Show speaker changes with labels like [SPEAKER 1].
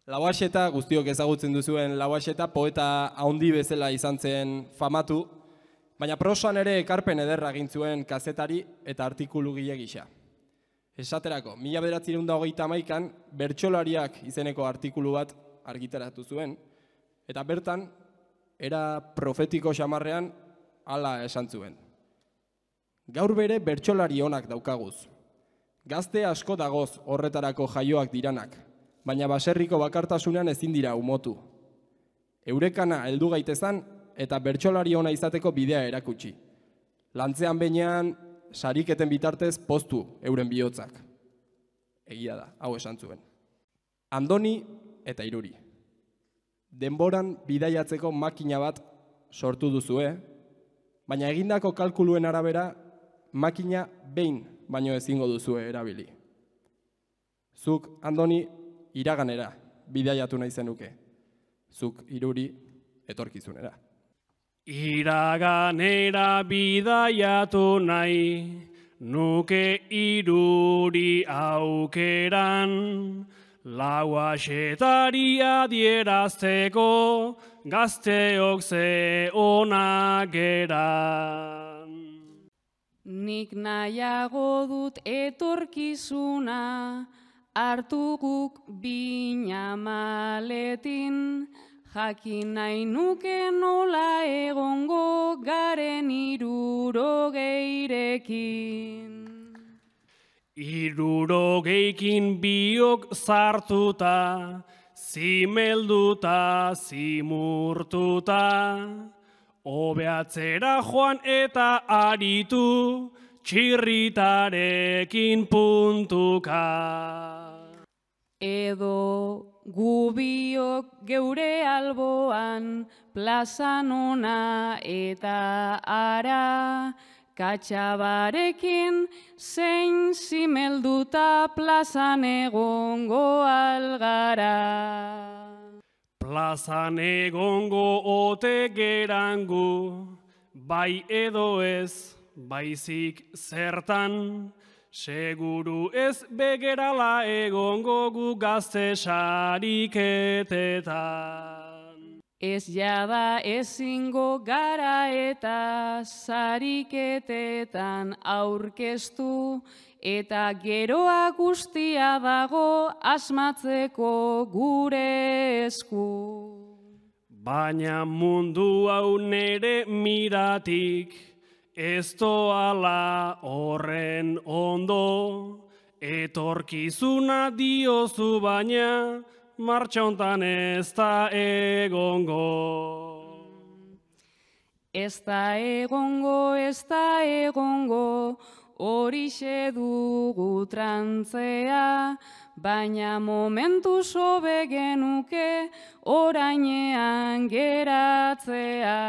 [SPEAKER 1] Lauaxeta, guztiok ezagutzen duzuen Lauaxeta, poeta handi bezala izan zen famatu, baina prosan ere ekarpen ederra egin zuen kazetari eta artikulugile gisa. Esaterako, 1931an Bertsolariak izeneko artikulu bat argitaratu zuen, eta bertan, era profetiko xamarrean, hala esan zuen. Gaur bere bertsolari onak daukaguz. Gazte asko dagoz horretarako jaioak diranak, baina baserriko bakartasunean ezin dira umotu. Eurekana heldu gaitezan eta bertsolari ona izateko bidea erakutsi. Lantzean behinean, sariketen bitartez poztu euren bihotzak. Egia da, hau esan zuen. Andoni eta Iruri. Denboran bidaiatzeko makina bat sortu duzue, baina egindako kalkuluen arabera makina behin baino ezingo duzue erabili. Zuk, Andoni, iraganera bidaiatu nahi zenuke. Zuk, Iruri, etorkizunera.
[SPEAKER 2] Iraganera bidaiatu nahi, nuke Iruri aukeran, Lauaxetari adierazteko, gazteok ze onak geran.
[SPEAKER 3] Nik nahiago dut etorkizuna, hartu guk bina maletin, jakin nahi nuke nola egongo garen 60
[SPEAKER 2] 60 biok zartuta, zimelduta, zimurtuta, obeatzera joan eta aritu, txirritarekin puntuka.
[SPEAKER 3] Edo gubiok geure alboan, plazan ona eta ara, katxabarekin zein zimelduta plazan egongo algara.
[SPEAKER 2] Plazan egongo ote gerangu, bai edo ez, baizik zertan, seguru ez begerala egongo gu gazte sariketetan.
[SPEAKER 3] Ez jada ezingo gara eta sariketetan aurkeztu, eta geroa guztia dago asmatzeko gure esku.
[SPEAKER 2] Baina mundu hau nere miratik, ez doala horren ondo, etorkizuna diozu baina, martxa hontan ez da egongo.
[SPEAKER 3] Ez da egongo, horixe dugu trantzea, baina momentu sobe genuke orainean geratzea.